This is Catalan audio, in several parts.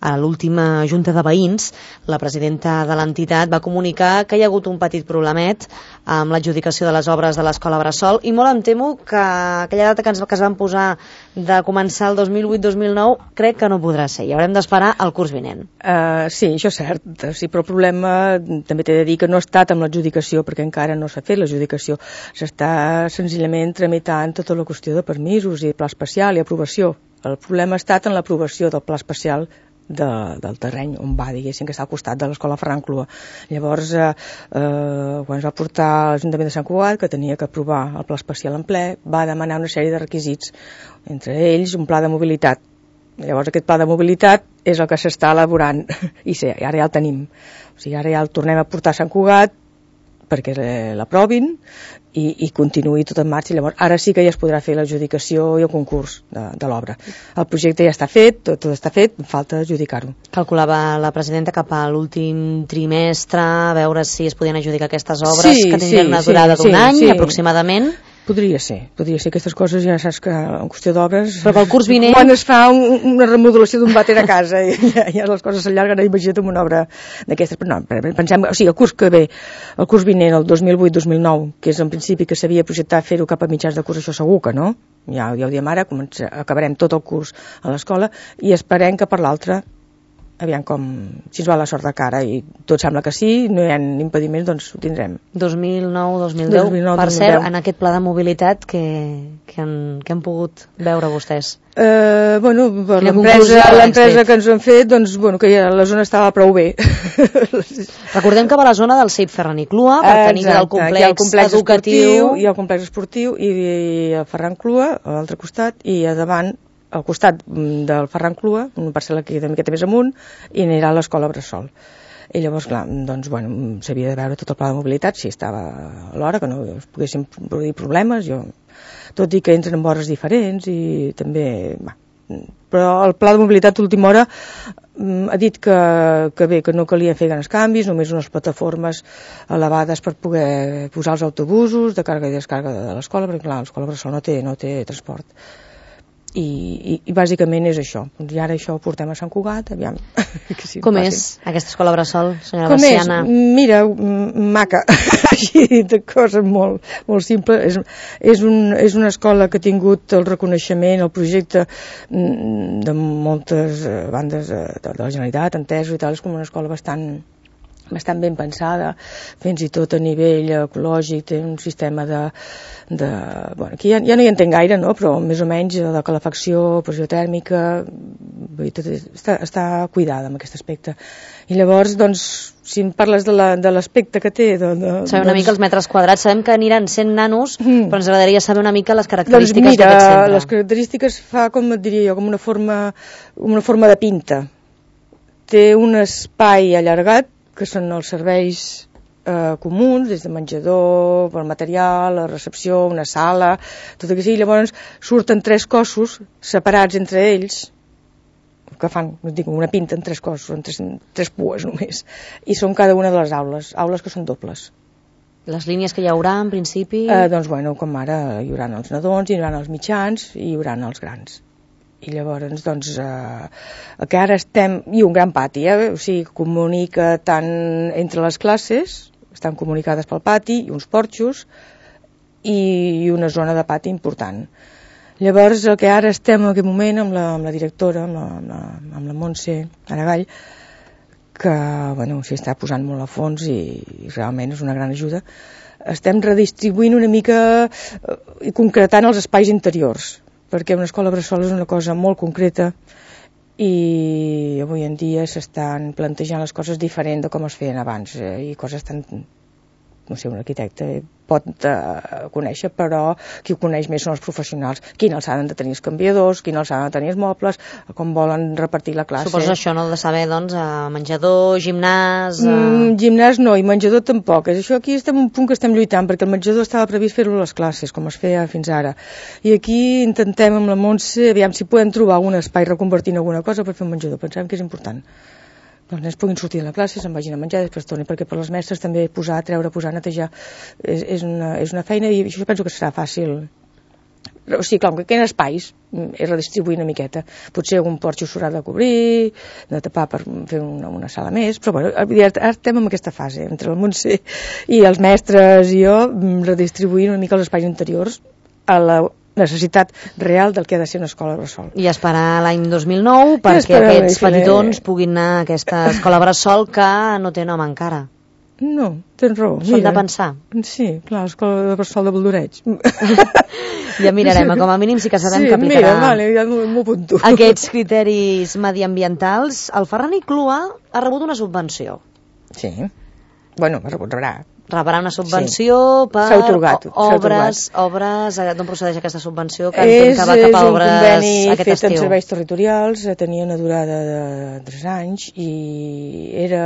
a l'última junta de veïns, la presidenta de l'entitat va comunicar que hi ha hagut un petit problemet amb l'adjudicació de les obres de l'escola Bressol, i molt em temo que aquella data que es van posar de començar el 2008-2009 crec que no podrà ser, i haurem d'esperar el curs vinent. Sí, això és cert, sí, però el problema també t'he de dir que no ha estat amb l'adjudicació, perquè encara no s'ha fet l'adjudicació, s'està senzillament tramitant tota la qüestió de permisos i pla especial i aprovació. El problema ha estat en l'aprovació del pla especial del terreny on va, diguéssim, que està al costat de l'escola Ferran Clua. Llavors, quan es va portar a l'Ajuntament de Sant Cugat, que tenia que aprovar el pla especial en ple, va demanar una sèrie de requisits, entre ells un pla de mobilitat. Llavors aquest pla de mobilitat és el que s'està elaborant, i sí, ara ja el tenim. O sigui, ara ja el tornem a portar a Sant Cugat perquè l'aprovin i continuï tot en marxa. Llavors, ara sí que ja es podrà fer l'adjudicació i el concurs de l'obra. El projecte ja està fet, tot està fet, falta adjudicar-ho. Calculava la presidenta cap a l'últim trimestre a veure si es podien adjudicar aquestes obres, que tindrien una durada d'un any aproximadament. Podria ser aquestes coses, ja saps que en qüestió d'obres, però pel curs vinent, quan es fa una remodelació d'un vàter a casa ja les coses s'allarguen, imagina't amb una obra d'aquestes. Però no, pensem, o sigui, el curs que ve, el curs vinent, el 2008-2009, que és en principi que s'havia projectat fer-ho cap a mitjans de curs, això segur que no, ja ho diem ara, acabarem tot el curs a l'escola i esperem que per l'altre, aviam com, si ens va la sort de cara, i tot sembla que sí, no hi ha impediments, doncs ho tindrem. 2009-2010, per cert, en aquest pla de mobilitat que han pogut veure vostès? Bueno, per l'empresa que ens han fet, doncs, bueno, que ja la zona estava prou bé. Recordem que va a la zona del CEIP Ferran i Clua, per tenir el complex educatiu i el complex esportiu, i el Ferran Clua a l'altre costat, i a davant al costat del Ferran Clua, una parcel·la que una miqueta més amunt, i anirà a l'escola Bressol. I llavors, clar, doncs, bueno, s'havia de veure tot el pla de mobilitat, si estava a l'hora, que no es poguessin produir problemes, tot i que entren en hores diferents, i també, però el pla de mobilitat d'última hora ha dit que bé, que no calia fer grans canvis, només unes plataformes elevades per poder posar els autobusos de càrrega i descàrrega de l'escola, perquè clar, l'escola Bressol no té transport. I bàsicament és això. I ara això ho portem a Sant Cugat, aviam. Com és aquesta escola Bressol, senyora Veciana? Mira, maca, així de coses molt simples. És una escola que ha tingut el reconeixement, el projecte de moltes bandes de la Generalitat, entesos i tal, és com una escola bastant ben pensada, fins i tot a nivell ecològic, té un sistema bueno, aquí ja no hi entenc gaire, no? Però més o menys de calefacció, pressió tèrmica, està cuidada en aquest aspecte. I llavors, doncs, si em parles de l'aspecte que té... Sabem una mica els metres quadrats, sabem que aniran 100 nanos, però ens agradaria saber una mica les característiques d'aquest centre. Doncs mira, les característiques fa, com et diria jo, com una forma de pinta. Té un espai allargat, que són els serveis comuns, des de menjador, per material, la recepció, una sala, tot el que sigui. Llavors surten 3 cossos separats entre ells, que fan, una pinta en 3 cossos, en 3 pues només, i són cada una de les aules que són dobles. Les línies que hi haurà, en principi? Doncs, bueno, com ara hi haurà els nadons, hi haurà els mitjans i hi haurà els grans. I llavors, doncs, el que ara estem... I un gran pati, o sigui, comunica tant entre les classes, estan comunicades pel pati, i uns porxos, i una zona de pati important. Llavors, el que ara estem en aquest moment amb la directora, amb la Montse Aragall, que, bueno, s'hi està posant molt a fons i realment és una gran ajuda, estem redistribuint una mica i concretant els espais interiors, perquè una escola Bressol és una cosa molt concreta i avui en dia s'estan plantejant les coses diferent de com es feien abans, i coses tan... no sé, un arquitecte pot conèixer, però qui ho coneix més són els professionals. Quina alçada han de tenir els canviadors, quina alçada han de tenir els mobles, com volen repartir la classe. Suposo això no de saber, doncs, menjador, gimnàs... Gimnàs no, i menjador tampoc. Això aquí estem un punt que estem lluitant, perquè el menjador estava previst fer-lo a les classes, com es feia fins ara. I aquí intentem amb la Montse, aviam si podem trobar algun espai reconvertint alguna cosa per fer un menjador. Pensem que és important. Els nens puguin sortir de la classe, se'n vagin a menjar, després tornin, perquè per les mestres també posar, netejar, és una feina, i això penso que serà fàcil. O sigui, clar, que en espais és redistribuir una miqueta. Potser algun porxo s'haurà de cobrir, de tapar per fer una sala més, però bueno, ara estem en aquesta fase, entre el Montse i els mestres i jo, redistribuint una mica els espais interiors a la necessitat real del que ha de ser una escola bressol. I esperar l'any 2009 perquè aquests petitons puguin anar a aquesta escola bressol que no té nom encara. No, tens raó. Són de pensar. Sí, clar, l'escola bressol de Boldoreig. Ja mirarem, com a mínim sí que sabem que aplicarà ja m'ho apunto. Aquests criteris mediambientals. El Ferran i Clua ha rebut una subvenció. Sí, bueno, rebrà una subvenció per obres. D'on procedeix aquesta subvenció que entenc que va cap a obres aquest estiu? És un conveni fet en serveis territorials, tenia una durada de 3 anys i era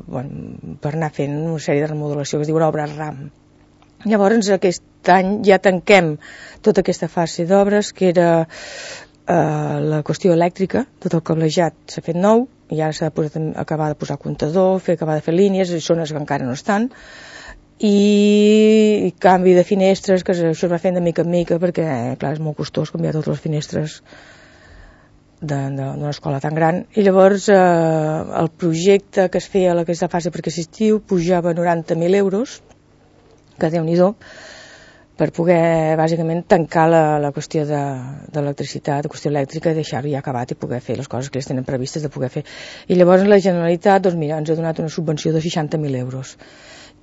per anar fent una sèrie de remodelació que es diu obres RAM. Llavors aquest any ja tanquem tota aquesta fase d'obres que era la qüestió elèctrica, tot el cablejat s'ha fet nou i ara s'ha acabar de posar comptador, acabar de fer línies, i zones que encara no estan, i canvi de finestres, que això es va fent de mica en mica perquè, clar, és molt costós canviar totes les finestres d'una escola tan gran. I llavors el projecte que es feia a aquesta fase perquè assistiu pujava 90.000 euros, que Déu-n'hi-do, per poder, bàsicament, tancar la qüestió d'electricitat, la qüestió elèctrica, i deixar-ho ja acabat i poder fer les coses que ells tenen previstes de poder fer. I llavors la Generalitat, doncs mira, ens ha donat una subvenció de 60.000 euros,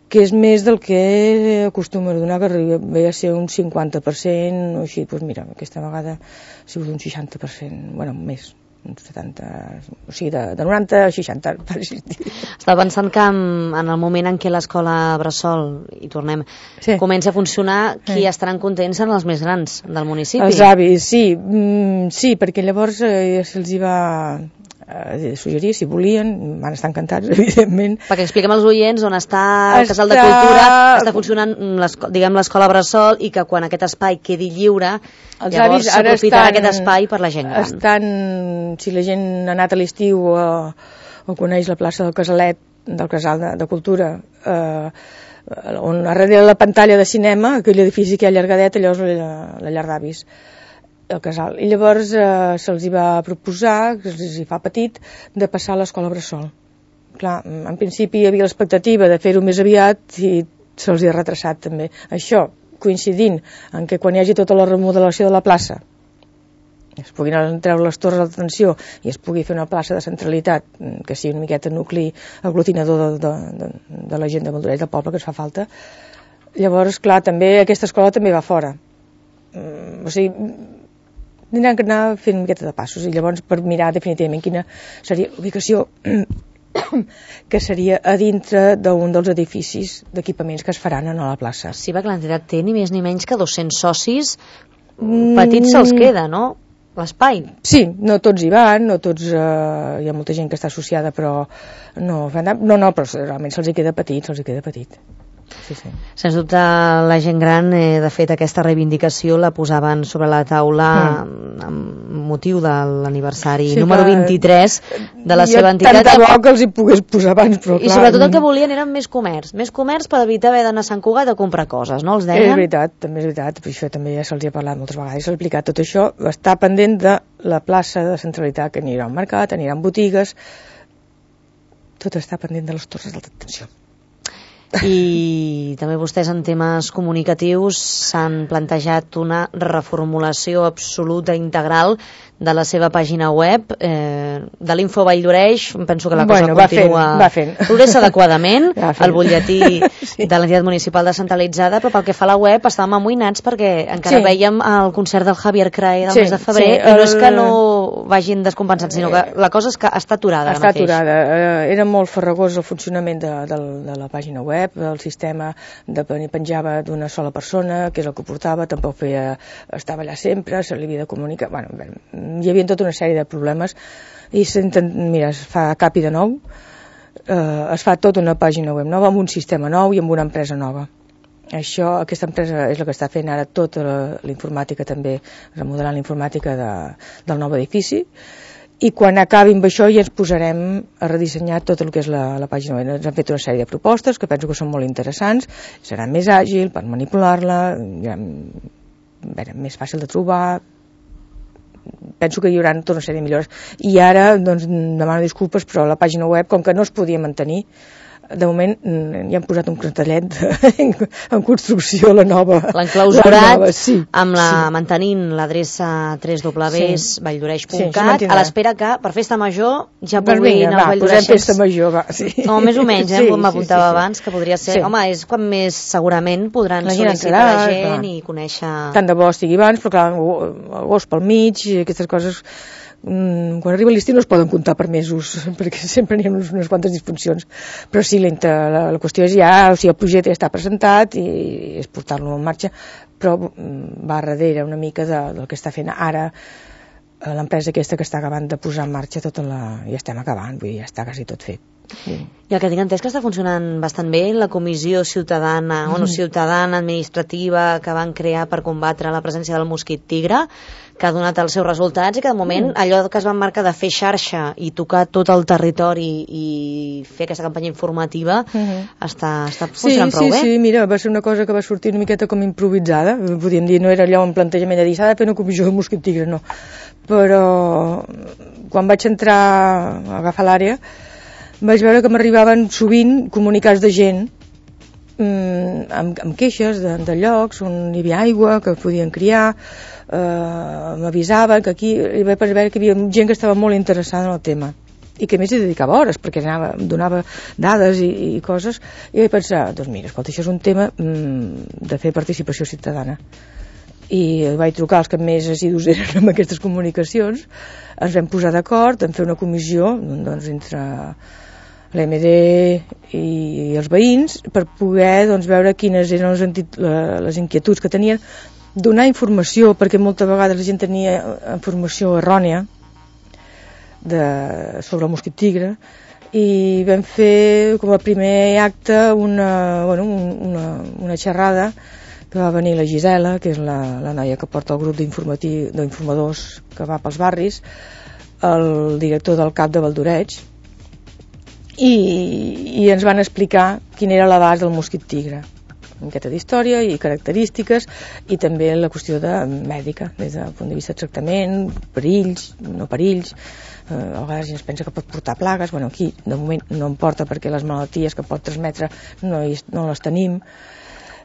que és més del que acostuma a donar, que ve a ser un 50% o així. Doncs mira, aquesta vegada ha sigut un 60%, bueno, més, un 70, o sigui, de 90 a 60 per assistir. Estava pensant que en el moment en què l'escola bressol, i tornem, comença a funcionar, qui estaran contents en els més grans del municipi? Els avis, sí, perquè llavors se'ls hi va suggerir, si volien, van estar encantats, evidentment. Perquè expliquem als oients on està el Casal de Cultura, està funcionant, diguem, l'escola bressol, i que quan aquest espai quedi lliure, llavors s'aprofitarà aquest espai per la gent gran. Si la gent ha anat a l'estiu o coneix la plaça del Casalet, del Casal de Cultura, on darrere la pantalla de cinema, aquell edifici que hi ha allargadet, allò és la llar d'avis, el casal. I llavors se'ls hi va proposar, que se'ls hi fa petit, de passar a l'escola bressol. Clar, en principi hi havia l'expectativa de fer-ho més aviat i se'ls hi ha retrasat també. Això coincidint en que quan hi hagi tota la remodelació de la plaça es puguin treure les torres d'atenció i es pugui fer una plaça de centralitat que sigui una miqueta nucli aglutinador de la gent de Boldoreig, del poble, que ens fa falta. Llavors, clar, també aquesta escola també va fora. O sigui, tindran que anar fent una miqueta de passos i llavors per mirar definitivament quina seria l'ubicació que seria a dintre d'un dels edificis d'equipaments que es faran a la plaça. Sí, perquè l'entitat té ni més ni menys que 200 socis, petits se'ls queda, no? L'espai. Sí, no tots hi van, no tots, hi ha molta gent que està associada, però no, però realment se'ls queda petit. Sí. Sens dubte la gent gran, de fet aquesta reivindicació la posaven sobre la taula amb motiu de l'aniversari número 23 de la seva entitat. Tant de bo que els hi pogués posar abans, però clar. I sobretot el que volien eren més comerç per evitar haver d'anar a Sant Cugat a comprar coses, no els deien? És veritat, també és veritat, però això també ja se'ls hi ha parlat moltes vegades, s'ha explicat tot això, està pendent de la plaça de centralitat, que anirà al mercat, anirà a botigues, tot està pendent de les torres d'atenció. I també vostès en temes comunicatius s'han plantejat una reformulació absoluta integral de la seva pàgina web, de l'Info Vall d'Oreix. Penso que la cosa va fent. Progressa adequadament, el butlletí de l'entitat municipal descentralitzada, però pel que fa a la web estàvem amoïnats perquè encara veiem el concert del Javier Crae del mes de febrer, i no és que no vagin descompensats, sinó que la cosa és que està aturada. Està aturada. Era molt farragós el funcionament de la pàgina web, el sistema penjava d'una sola persona, que és el que portava, tampoc estava allà sempre, se li havia de comunicar, hi havia tota una sèrie de problemes i es fa capi de nou, es fa tota una pàgina web nova amb un sistema nou i amb una empresa nova. Aquesta empresa és la que està fent ara tota la informàtica, també remodelant la informàtica del nou edifici, i quan acabi amb això ja ens posarem a redissenyar tot el que és la pàgina web. Ens han fet una sèrie de propostes que penso que són molt interessants, serà més àgil per manipular-la, més fàcil de trobar. Penso que hi haurà tota una sèrie de millores. I ara, doncs, demano disculpes, però la pàgina web, com que no es podia mantenir, de moment ja han posat un cartellet en construcció, la nova. L'han clausurat mantenint l'adreça www.valldoreix.cat a l'espera que per Festa Major ja puguin els valldoreixens. Posem Festa Major, va. No, més o menys, com m'apuntava abans, que podria ser... Home, és quan més segurament podran sol·licitar la gent i conèixer... Tant de bo estigui abans, però clar, agost pel mig, aquestes coses... quan arriba l'estiu no es poden comptar per mesos perquè sempre n'hi ha unes quantes disfuncions, però sí, la qüestió és ja, o sigui, el projecte ja està presentat i és portar-lo en marxa, però va darrere una mica del que està fent ara l'empresa aquesta que està acabant de posar en marxa ja estem acabant, vull dir, ja està quasi tot fet. I el que tinc entès que està funcionant bastant bé, la comissió ciutadana administrativa que van crear per combatre la presència del mosquit tigre, que ha donat els seus resultats i que de moment allò que es van marcar de fer xarxa i tocar tot el territori i fer aquesta campanya informativa està funcionant prou bé. Sí, mira, va ser una cosa que va sortir una miqueta com improvisada, podríem dir, no era allò un plantejament de dir s'ha de fer una comissió de mosquit tigre, no, però quan vaig entrar a agafar l'àrea vaig veure que m'arribaven sovint comunicats de gent amb queixes de llocs on hi havia aigua, que podien criar, m'avisaven que aquí hi vaig veure que hi havia gent que estava molt interessada en el tema i que més hi dedicava hores perquè donava dades i coses, i vaig pensar, doncs mira, escolta, això és un tema de fer participació ciutadana, i vaig trucar als que més assidus eren amb aquestes comunicacions, ens vam posar d'acord en fer una comissió doncs, entre l'EMD i els veïns per poder veure quines eren les inquietuds que tenien, donar informació, perquè moltes vegades la gent tenia informació errònia sobre el mosquit tigre, i vam fer com a primer acte una xerrada que va venir la Gisela, que és la noia que porta el grup d'informadors que va pels barris, el director del CAP de Valldoreix, i ens van explicar quin era l'abast del mosquit tigre, una miqueta d'història i característiques, i també la qüestió mèdica, des del punt de vista de tractament, perills, no perills, a vegades es pensa que pot portar plagues, bueno, aquí de moment no em porta perquè les malalties que pot transmetre no les tenim,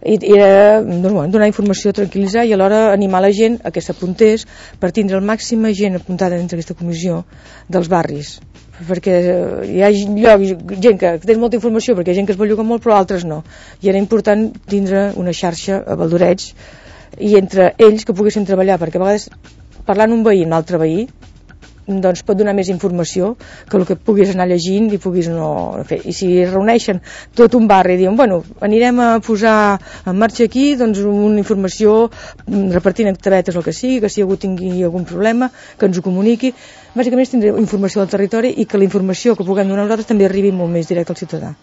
i era donar informació, tranquil·litzar i alhora animar la gent a que s'apuntés per tindre el màxim gent apuntada dins d'aquesta comissió dels barris, perquè hi ha gent que té molta informació perquè hi ha gent que es belluga molt però altres no, i era important tindre una xarxa a Valldoreix i entre ells que poguessin treballar, perquè a vegades parlant un veí amb l'altre veí doncs pot donar més informació que el que puguis anar llegint i puguis no fer. I si es reuneixen tot un barri i diuen, bueno, anirem a posar en marxa aquí doncs una informació repartint en tabetes el que sigui, que si algú tingui algun problema que ens ho comuniqui, bàsicament és tindre informació del territori i que la informació que puguem donar nosaltres també arribi molt més directe al ciutadà.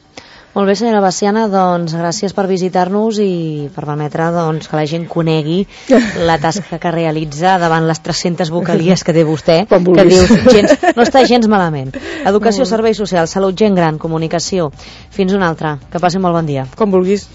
Molt bé, senyora Baciana, doncs gràcies per visitar-nos i per permetre que la gent conegui la tasca que realitza davant les 300 vocalies que té vostè, que dius, no està gens malament. Educació, serveis socials, salut, gent gran, comunicació. Fins una altra. Que passi molt bon dia. Com vulguis.